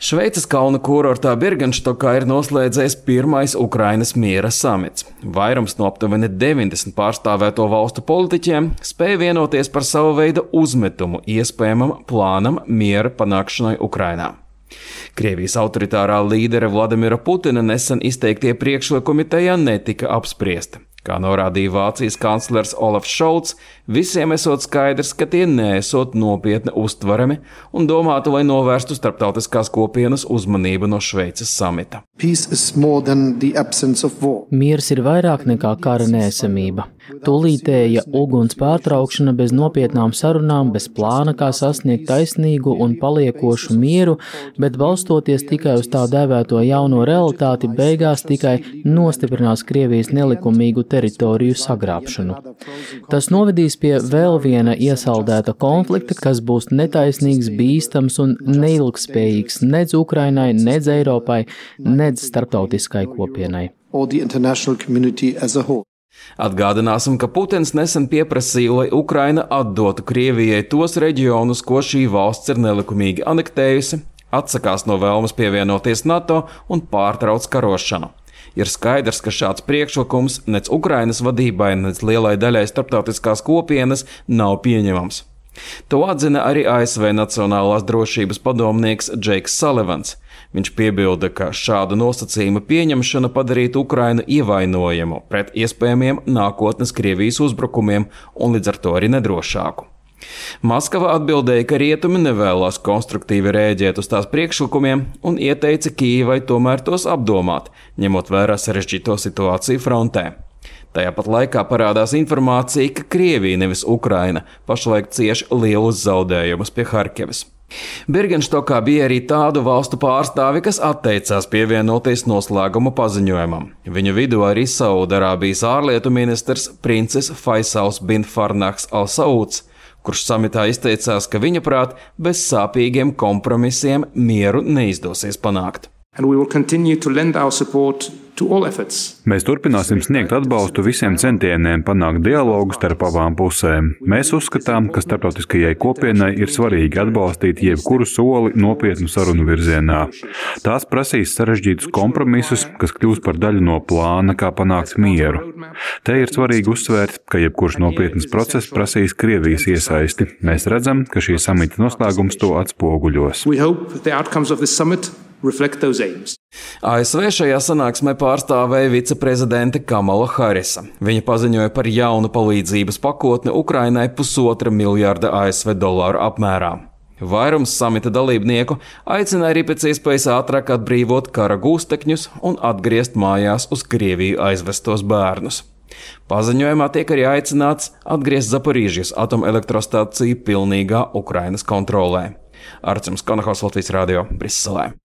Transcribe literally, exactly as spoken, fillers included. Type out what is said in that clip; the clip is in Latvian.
Šveices kalnu kurortā Birgenštokā ir noslēdzies pirmais Ukrainas miera samits. Vairums no aptuveni deviņdesmit pārstāvēto valstu politiķiem spēja vienoties par savu veidu uzmetumu iespējamam plānam miera panākšanai Ukrainā. Krievijas autoritārā līdera Vladimira Putina nesen izteiktie priekšlikumi tajā netika apspriesti. Kā norādīja Vācijas kanclers Olafs Šolts, visiem esot skaidrs, ka tie neesot nopietni uztverami un domātu, lai novērstu starptautiskās kopienas uzmanību no Šveices samita. Miers ir vairāk nekā kara neesamība. Tūlītēja uguns pārtraukšana bez nopietnām sarunām, bez plāna, kā sasniegt taisnīgu un paliekošu mieru, bet balstoties tikai uz tā dēvēto jauno realitāti, beigās tikai nostiprinās Krievijas nelikumīgu teritoriju sagrābšanu. Tas novedīs pie vēl viena iesaldēta konflikta, kas būs netaisnīgs, bīstams un neilgtspējīgs nedz Ukrainai, nedz Eiropai, nedz starptautiskai kopienai. Atgādināsim, ka Putins nesen pieprasīja, lai Ukraina atdotu Krievijai tos reģionus, ko šī valsts ir nelikumīgi anektējusi, atsakās no vēlmes pievienoties NATO un pārtrauc karošanu. Ir skaidrs, ka šāds priekšlikums nec Ukrainas vadībai, nec lielai daļai starptautiskās kopienas nav pieņemams. To atzina arī A S V Nacionālās drošības padomnieks Džeiks Salivans. Viņš piebilda, ka šādu nosacījumu pieņemšana padarītu Ukrainu ievainojamu pret iespējamiem nākotnes Krievijas uzbrukumiem un līdz ar to arī nedrošāku. Maskava atbildēja, ka rietumi nevēlas konstruktīvi rēģēt uz tās priekšlikumiem un ieteica Kijevai tomēr tos apdomāt, ņemot vērā sarežģīto situāciju frontē. Tajā pat laikā parādās informācija, ka Krievija, nevis Ukraina, pašlaik cieš lielus zaudējumus pie Harkivas. Birgenštokā bija arī tādu valstu pārstāvi, kas atteicās pievienoties noslēguma paziņojumam. Viņu vidū arī Saudarābijas ārlietu ministrs princis Faisals bin Farnahs al-Sauds, kurš samitā izteicās, ka viņa prāt bez sāpīgiem kompromisiem mieru neizdosies panākt. Mēs turpināsim sniegt atbalstu visiem centieniem panākt dialogu starp abām pusēm. Mēs uzskatām, ka starptautiskajai kopienai ir svarīgi atbalstīt jebkuru soli nopietnu sarunu virzienā. Tās prasīs sarežģītus kompromisus, kas kļūs par daļu no plāna, kā panākt mieru. Te ir svarīgi uzsvērt, ka jebkurš nopietnas process prasīs Krievijas iesaisti. Mēs redzam, ka šī samita noslēgums to atspoguļos. A S V šajā sanāksmē pārstāvēja viceprezidente Kamala Harisa. Viņa paziņoja par jaunu palīdzības pakotni Ukrainai pusotra miljārda A S V dolāru apmērā. Vairums samita dalībnieku aicina arī pēc iespējas ātrāk atbrīvot kara gūstekņus un atgriezt mājās uz Krieviju aizvestos bērnus. Paziņojumā tiek arī aicināts atgriezt Zaporīžjas atomelektrostaciju pilnīgā Ukrainas kontrolē. Arcims Konahaus, Latvijas radio, Briselē.